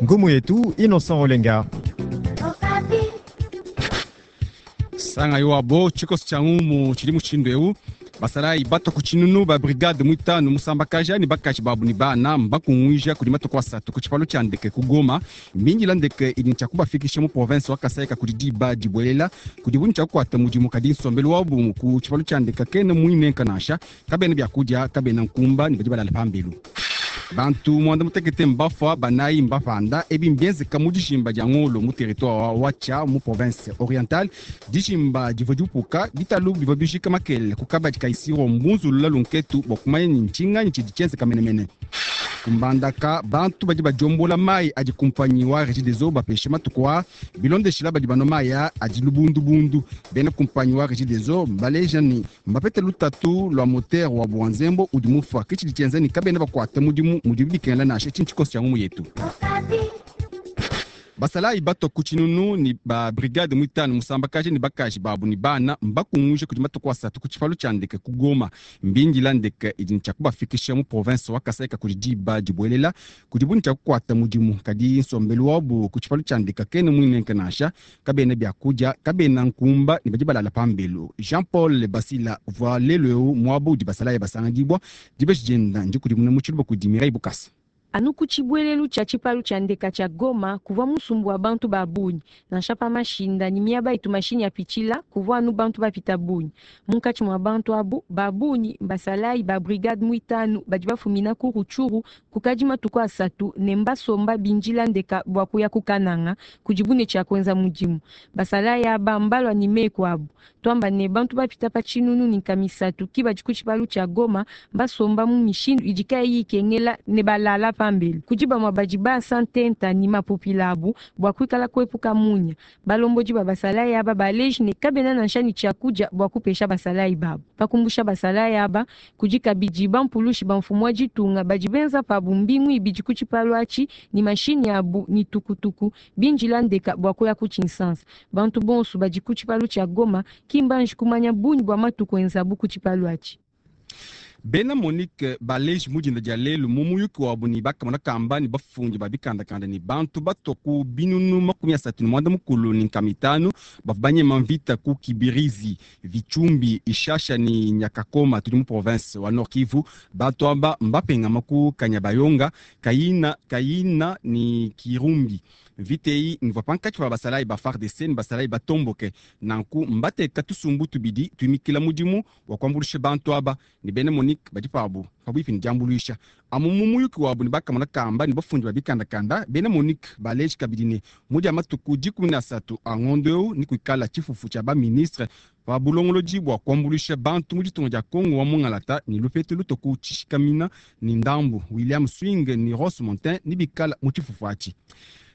Ngumu yetu Innocent Olenga. Sanga yo tshikoso tshia ngumu tshidi mushindu eu. Basalayi bato ku tshinunu ba brigade muitanu musambakaja ne bakaji babu ne bana mbakunguija kudi matuku asatu ku tshipalo tshia ndeke ku Goma. Mbindila ndeke idi tshia kubafikisha mu province wa Kasai kudi diba dibuelela kudi bunyi tshia kukuata mudimu, kadi nsombelu wabu ku tshipalo tshia ndeke kena muinenka nansha, kabena biakudia, kabena nkumba ne badi balala pambelu. Bantu mwanda mutekete mbafua, banayi mbapanda. Ebi mbienzeka mu dijimba dia Ngolo mu territoire wa Watshia mu province orientale. Dijimba divua diupuka bitalu bivua bijika makele ku kabadi ka Isiro mbunzulula lunketu bua kumanya ni ntshinganyi tshidi tshienzeka menemene. Kumbandaka bantu badi badiombola mayi adi kumpanyi wa Regideso bapeshe matuku a bilondeshila badi banua mayi adi lubundubundu. Bena kumpanyi wa Regideso mbaleja ni mbapete lutatu lua moteur wa bua nzembo udi mufua, ke tshidi tshienza ni kabena bakuata mudimu mudibi bikengela nansha. Tshinyi tshikoso tshia ngumu yetu. Basalayi bato ku tshinunu ni ba brigade muitanu musambakaje ne bakaji babu ne bana mbakunguje kudi matuku asatu ku tshipalo tshia ndeke ku Goma. Mbindila ndeke idi tshia kubafikisha mu province wa Kasai kudi diba dibuelela kudi bunyi tshia kukuata mudimu, kadi nsombelu wabu ku tshipalo tshia ndeke kena muinenke nansha, kabena biakudia, kabena nkumba ne badi balala pambelu. Jean Paul Basila uvua lelu eu muabu udi basalayi basanganyibwa dibeji dienda ndikudimuna mu tshiluba kudi Mireille Bukasa. Anu ku tshibuelelu tshia tshipalu tshia ndeka tshia Goma kuvua musumbu wa bantu ba bungi, nansha pa mashinda ne miaba itu mashinyi apitshila kuvua anu bantu bapita bungi. Munkatshi mua bantu abu ba bungi mbasalayi ba brigade muitanu badi bafumina ku Rutshuru kukadi matuku asatu ne mbasomba bindila ndeka bua kuya ku Kananga kudibu ne tshia kuenza mudimu. Basalayi aba mbalua ne meku abu, tuamba ne bantu bapita pa tshinunu ne nkamisatu ki badi ku tshipalu tshia Goma basomba mu mishindu idi kayiyi ikengela ne balala pambelu. Kudi bamue badi basa ntenta ne mapupila abu bua kuikala kuepuka munya. Balombodi ba basalayi aba baleji ne kabena nansha ne tshiakudia bua kupesha basalayi babu. Pakumbusha basalayi aba kudi kabidi bampulushi ba mfumu wa ditunga badi benza pabu mbingu ibidi ku tshipalu atshi ne mashinyi abu ne tukutuku bindila ndeka bua kuya ku Tshinsansa. Bantu bonso badi ku tshipalu tshia Goma ki mbanji kumanya bungi bua matuku enzabu ku tshipalu atshi. Bena Monique baleji mu dinda dia lelu mu muyuki wabu ne bakamona kamba ne bafundi ba bikandakanda ne bantu batua ku binunu 35 ne nkama itanu bavua banyema mvita ku Kibirizi, Vitshumbi, Ishasha ne Nyakakoma tudi mu province wa Nord Kivu. Bantu aba mbapengama ku Kanyabayonga, Kayina, Kayina ne Kirumbi. Mvita eyi mvua pankatshi pa basalayi ba FARDC ne basalayi batomboke. Nanku mbateka tusumbu tubidi tuimikila mudimu wa kuambuluisha bantu aba ne bena Monique badi pabu pabuipi ne diambuluisha. Amu mu muyuki wabu ne bakamona kamba ne bafundi ba bikandakanda, bena Monique baleji kabidi ne mu dia matuku 13 a ngondo eu ne kuikala tshifufu tshia ba ministre pa bulongolodi bua kuambuluisha bantu mu ditunga dia Kongo wa Mungalata ne lupetu lutoku tshishikamina ne ndambu William Swing ne Ross Montin ne bikala mu tshifufu atshi.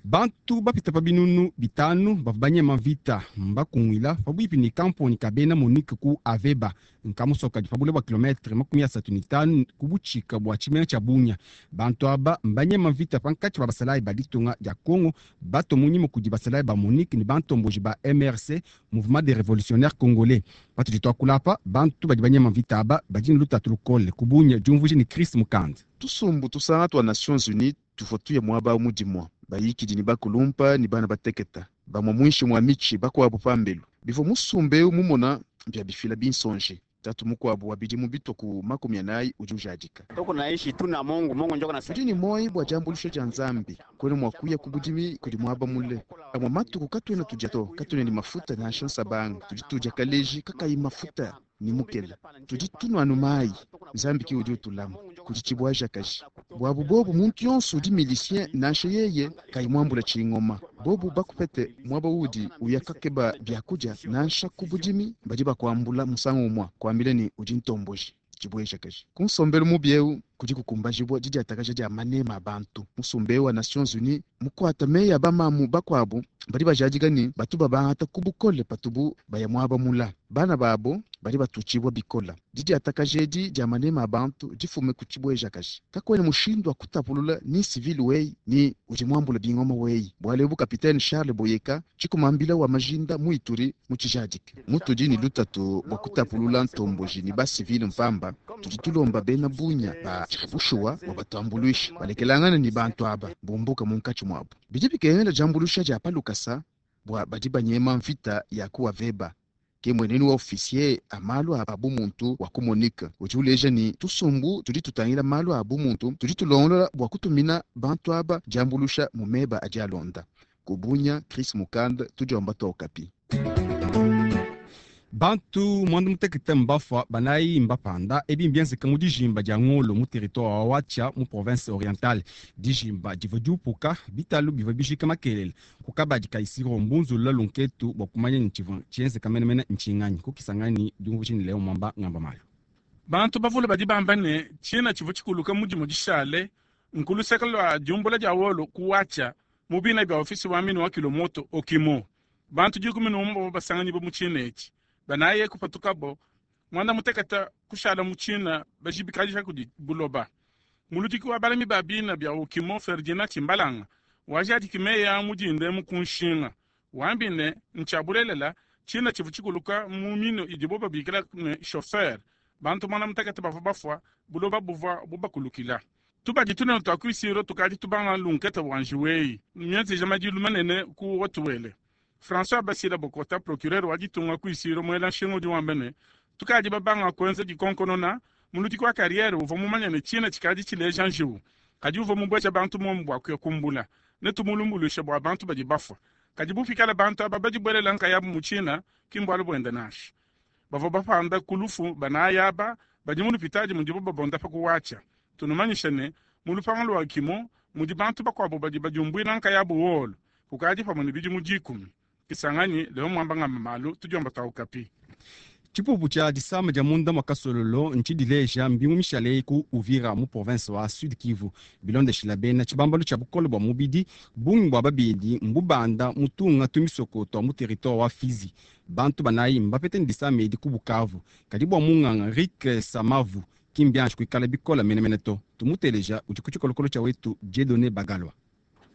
Bantu bapita pa binunu 5 bavua banyema mvita mbakungwila pabuipi ne kamponi ka bena Monique ku Aveba nkamusoka pa bule bua kilometre 35 ku butshika bua tshimenga tshia Bunia. Bantu aba mbanyema mvita pankatshi pa basalayi ba ditunga dia Congo bato munyima kudi basalayi ba Monique ne bantomboji ba MRC, Mouvement des Révolutionnaires Congolais. Patudi tuakula apa bantu badi banyema mvita aba badi ne lutatu lukole ku Bunia, diumvuija ne Chris Mukanda. Tusumbu tusanga tua Nations Unies tuvua tuya muaba mudimua bayikidi ne bakulumpa ne bana bateketa bamue muinshi mua mitshi bakuabu pambelu. Bivua musumba eu mumona bia bifila binsonji. Tatu mukuabu wa bidimu bitua ku 40 udi ujadika. Tudi ne moyi bua diambuluisha dia Nzambi kwena mua kuya ku budimi kudi muaba mule. Amue matuku katuena tudia to, katuena ne mafuta nansha nsabanga. Tudi tudia kaleji kakayi mafuta ne mukela. Tudi tunua anu mayi. Nzambi ki udi utulama kudi tshibuajakaji. Buabu bobu muntu yonso udi milicien nansha yeye kayi muambula tshingoma. Bobu bakupete muaba udi uya kakeba biakudia nansha ku budimi badi bakuambula musangu umua kuambila ne udi ntomboji tshibuejakaji. Ku nsombelu mubi eu kudi kukumbajibua didiatakaja dia manema a bantu. Musumba eu wa Nations Unies mukuata meyi a bamamu bakuabu badi bajadika ne batu babangata ku bukole patubu baya muaba mula. Bana babo badi batutshibua bikola. Didiatakaja edi dia manema a bantu difume ku tshibuejakaji. Kakuena mushindu wa kutapulula ni civil weyi ni udi muambula bingoma weyi. Bualu ebu Kapitene Charles Boyeka tshikumambila wa majinda mu Ituri mu tshijadike. Mutudi ni lutatu bua kutapulula ntomboji ni ba civil mpamba, tudi tulomba bena bunya ba bushuwa bua batuambuluishe balekelangana ni bantu aba bumbuka munkatshi muabu. Bidi bikengela diambuluisha dia pa lukasa bua badi banyema mvita ya ku Aveba. Ke mwenenu wa officier a malu a bumuntu wa ku Monique udi uleja ni tusumbu tudi tutangila malu a bumuntu tudi tulongolola bua kutumina bantu aba diambuluisha mu meba adi alonda. Kubunya Chris Mukanda tudiomba twa Okapi. Bantu mwanda mutekete mbafua banayi mbapanda ebi mbienzeka mu dijimba dia Ngolo mu territoire wa Watshia mu province orientale. Dijimba divua diupuka bitalu bivua bijika makelele ku kabadi ka Isiro mbunzulula lunketu bua kumanya ni tshivua tshienzeka menemene ntshinganyi kukisangani diumvuija ni Leo Mwamba ngamba malu. Bantu bavule badi bamba ne tshina tshivua tshikuluka mudimu dishale nkuluseka lua diumbula dia wolo ku Watshia mu bina bia ofisi wa mine wa kilomoto Okimo. Bantu 11 bavua basanganyibwa mu tshina etshi. Banaye kupatukabo mwana muteketa kushala mu tshina bajibikajisha kudi buloba. Muludiki wa balami ba bina bia Okimo Ferdinand Tshimbalanga wajadiki meya mudinde mu kunshinga wambi ne ntshiabulelela tshina tshivu tshikuluka mu mino idibo babikila ne chauffeur. Bantu mwana muteketa bavua bafua buloba buvua bubakulukila. Tubadi tunene twa kuisiro tukadi tubanga lunketa wanjiweyi myenzija madilu manene ku watuwele. François Basila Bokota procureur wa ditunga kuisiro mwela nshinga udi wamba ne tukadi babanga kwenza dikonkonona muludiki wa carrière uvua mumanye ne tshina tshikadi tshileja njiwu kadi uvua mubweja bantu momu bua kuya kumbula ne tumulumbuluisha bua bantu badi bafua kadi bufikala bantu aba badibuelela nkayabu mu tshina ki mbualu buenda nansha. Bavua bapanda ku lufu banayi aba badi mu lupitadi mudibo babonda pa kuwatshia. Tunumanyisha ne mu lupangu lua Kimo mudi bantu bakuabu badi badiumbuila nkayabu wolo kukadi pamue ne bidimu 10. Kisangani leo mwamba ngamba malu tudiomba twa Okapi. Tshipupu tshia disama dia munda mwa kasololo ntshidileja mbingu mishale ku Uvira mu province wa Sud Kivu. Bilondeshila bena tshibambalu tshia bukole bua mubidi bungi bua babidi mbubanda mutunga tumisoko twa mu territoire wa Fizi. Bantu banayi mbapete ne disama edi ku Bukavu. Kadi bua munganga Rick Samavu kimbianji kuikala bikola menemene to. Tumuteleja udi ku tshikolokolo tshia wetu Dieudonné Bagalwa.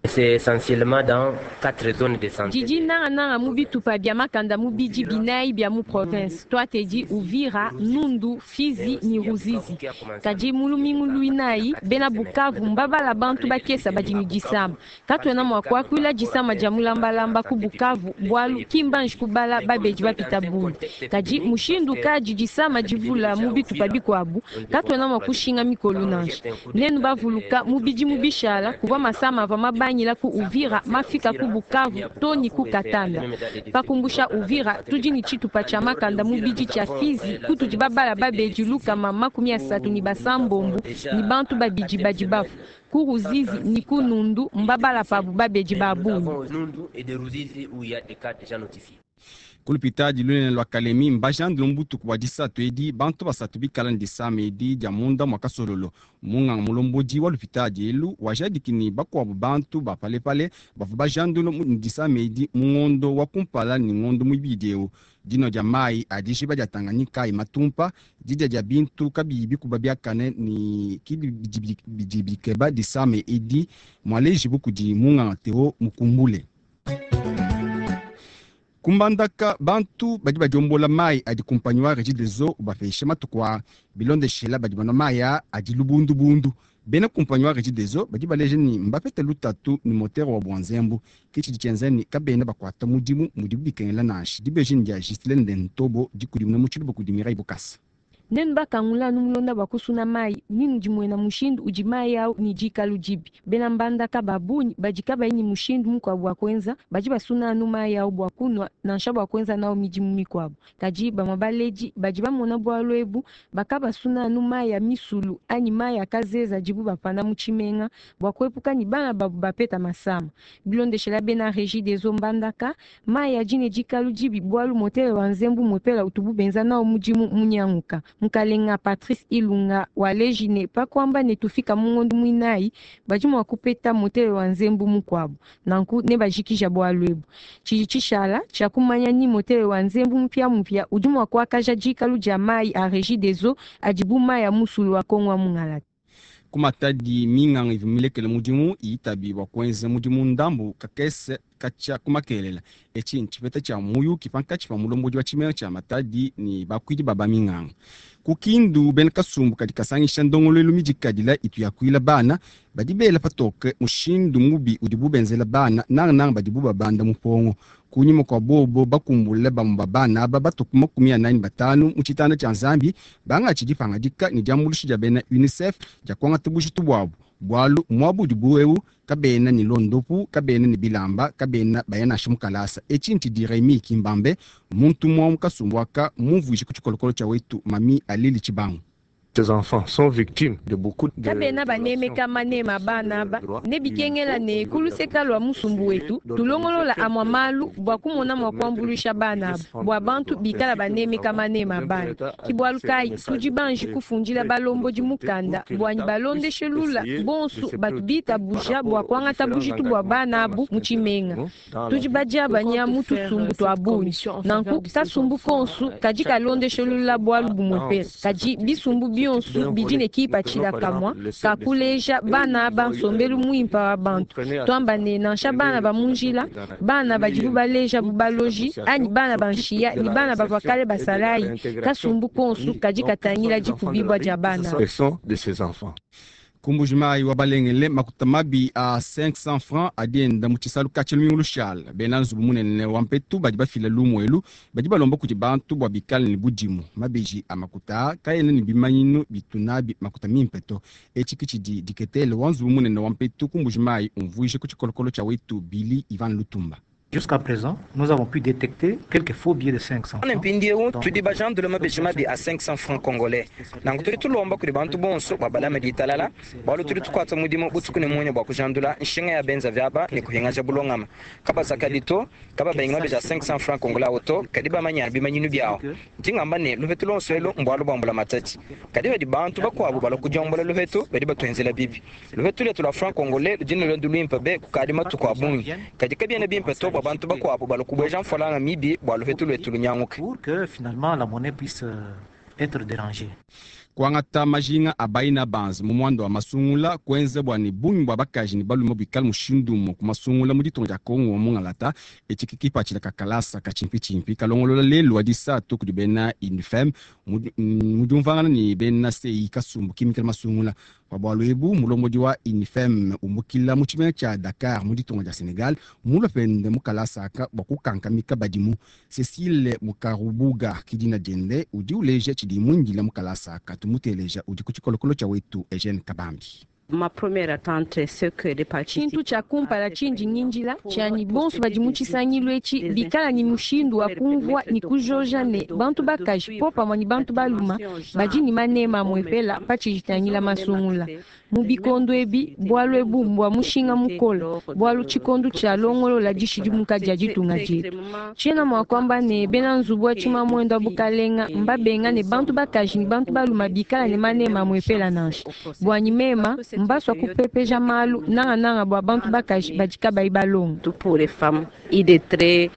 C'est essentiellement dans 4 zones de santé. Didi nangananga mu bitupa bia makanda mu bidi binayi bia mu province. Twatedi Uvira, Nundu, Fizi ni Ruzizi. Kadi mulumingu luinayi bena Bukavu mbabala bantu bakesa badi ni disama. Katuena mua kuakuila disama dia mulambalamba ku Bukavu bualu kimbanji kubala babedi bapita bungi. Kadi mushindu kadi disama divula mu bitupa bikuabu katuena mua kushinga mikolu nansha. Nenu bavuluka mu bidi mu bishala kuvua masama ava mabanyi ku Uvira mafika ku Bukavu toni ku Katanda. Pakumbusha Uvira tudi ni tshitupa tshia makanda mu bidi tshia Fizi kutudi babala babedi lukama 36 ni basambombu ni bantu babidi badi bafu. Ku Ruzizi ni ku Nundu mbabala pabu babedi ba bungi. Kulupitadi lunene lwa Kalemi mbajandile mbutuku bua disatu edi bantu basatu bikala ne disama edi dia munda mwa kasololo. Munganga mulombodi wa lupitadi elu wajadiki ni bakuabu bantu ba palepale bavua bajandile mu disama edi mu ngondo wa kumpala ni ngondo muibidi eu. Dino dia mayi a dijiba dia Tanganyika matumpa didia dia bintu kabiyi bikuba biakane ni kibi bidi bikeba disama edi mwalejibu kudi munganga Theo Mukumbule. Kumbandaka bantu badi badiombola mayi adi kumpanyi wa Regideso ubapesha matuku a bilondeshela badi banwa mayi adi lubundubundu. Bena kumpanyi wa Regideso badi baleja ni mbapete lutatu ni motere wa bwanzembu kitshidi tshienza ni kabena bakuata mudimu mudibu bikengela nansha. Dibeji dia Gislaine Ntobo dikudimuna mu tshiluba kudi Mireille Bukasa. Nenu bakangula anu mulonda bua kusuna mayi ninu dimuena mushindu udi mayi au ni dikalu dibi. Bena mbandaka ba bungi badi kabayi ni mushindu mukuabu wa kuenza badi basuna anu mayi au bua kunwa nansha bua kuenza nao midimu mikuabu. Kadi bamue baledi badi bamona bualu ebu bakabasuna anu mayi ya misulu anyi mayi ya kazeza dibu bapanda mu tshimenga bua kuepuka ni bana babu bapeta masama. Bilondeshela bena Regideso mbandaka mayi adi ne dikalu dibi bualu motere wa nzembu muepela utubu benza nao mudimu munyanguka. Mukalenga Patrice Ilunga waleji ne pa kuamba ne tufika mu ngondo muinayi badi mua kupeta motere wa nzembu mukuabu, nanku nebajikija bualu ebu. Tshidi tshishala tshia kumanya ni motere wa nzembu mupiamupia udi mua kuakaja dikalu dia mayi a Regideso adi bu mayi a musulu wa Kongo wa mungalata. Ku Matadi minganga ivua milekele mudimu itabi bua kuenza mudimu ndambu kakese katshia ku makelela. Etshi ntshipeta tshia muyuki pankatshi pa mulombodi wa tshimenga tshia Matadi ne bakuidi ba baminganga. Ku Kindu bena kasumbu kadi kasangisha ndongoluelu midikadila itu yakuila bana badi bela patoke mushindu mubi udibu benzela bana nangananga badibu babanda mupongo. Kunyima kua bobo bakumbule bamue ba bana aba batuku 45 mu tshitanda tshia Nzambi bangatshi dipangadika ne diambuluisha dia bena UNICEF dia kuangata bujitu buabu, bualu muabu udibu eu kabena ne londopu, kabena ne bilamba, kabena baya nansha mu kalasa. Etshi ntshidi Remy Kimbambe muntu umue wa mu kasumbu aka mumvuije ku tshikolokolo tshia wetu Mami Alili Tshibangu. Ces enfants sont victimes de beaucoup de Kabena banemeka manema bana aba ne bikengela ne ku luseka lua musumbu wetu tulongolola amua malu bua kumona mua kuambuluisha bana aba bua bantu bikala banemeka manema bana. Ke bualu kayi tudi banji kufundila balombodi mukanda bua balondeshe lula bonsu batu bitabuja bua kuangata bujitu bua bana abu mu tshimenga. Tudi badiabanya mu tusumbu tua bungi, nanku kasumbu konsu kadi kalondeshe lula bualu bumue kadi bisumbu bionso bidi ne kipatshila kamua kakuleja bana aba nsombelu muimpe wa bantu. Tuamba ne nansha bana ba mu njila, bana badibu baleja bu baloji anyi bana ba nshiya ne bana bavua kale basalayi, kasumbu konsu kadi katangila dikubibua dia bana. Ku Mbuji-Mayi wa balengele makuta mabi a 500 francs adi enda mu tshisalu katshia lumingu lushala. Bena nzubu munene wa mpetu badi bafila lumu elu badi balomba kudi bantu bua bikale ne budimu. Mabeji a makuta kaena ne bimanyinu bitu nabi makuta mimpe to. Etshi ke tshidi diketele wa nzubu munene wa mpetu ku Mbuji-Mayi umvuije ku tshikolokolo tshia wetu Billy Ivan Lutumba. Jusqu'à présent, nous avons pu détecter quelques faux billets de 500 francs. Mpindieu tudi bajandule mabeji mabi a 500 francs congolais. Nanku tudi tulomba kudi bantu bonso bua balame ditalala, bualu tudi tukuata mudimu butuku ne munya bua kujandula nshinga ya benza vyaba ne kuhingaja bulongama. Kabazakadi to, kababengi mabeji a 500 francs congolais awo to, kadi bamanya bimanyinu biawo. Ndi ngamba ne lupetu luonso elu mbualu bua mbula matadi. Kadi badi bantu bakuabu balua kudiombola lupetu badi batuenzela bibi. Lupetu luetu lua franc congolais ludi ne luendu luimpe be kukadi matuku a bungi. Kadi kabiena bimpe to bua bantu bakuabu balua kubueja mfualanga mibi bua lupetu luetu lunyanguke. Pour que finalement la monnaie puisse être dérangée. Kuangata majinga a baina banzi mu muanda wa masungula kuenza bua ne bungi bua bakaji ne balume buikale mushindu umue ku masungula mu ditunga dia Kongo wa mungalata. Etshi ke kipatshila ka kalasa ka tshimpitshimpi kalongolola lelu wa disatu kudi bena UNIFEM mu diumvuangana ne bena CI kasumbu kimikila masungula. Pa bualu ebu mulombodi wa UNIFEM umbukila mu tshimenga tshia Dakar mu ditunga dia Senegal mulue pende mu kalasa aka bua kukankamika badimu. Cecile Mukarubuga ke dina diende udi uleja tshidi muindila mu kalasa aka. Tumuteleja udi ku tshikolokolo tshia wetu Eugene Kabambi. Ma première attente, c'est que les participants Tshintu tshia kumpala tshindi ngindila tshianyi bonso badi mu tshisangilu etshi bikala ne mushindu wa kumvua ne kujoja ne bantu bakaji popamue ne bantu baluma badi ne manema amue-pela patshidi tangila masungula. Mu bikondo ebi bualu ebu mbua mushinga mukole bualu tshikondo tshia longolola dishidimuka dia ditunga dietu. Tshiena mua kuamba ne bena nzubu wa tshimamuende wa bukalenga mbabenga ne bantu bakaji ne bantu baluma bikala ne manema amue-pela nansha. Buanyi mema mbasua kupepeja malu nangananga bua bantu bakaji badi kabayi balonga. Pour les femmes illettrées.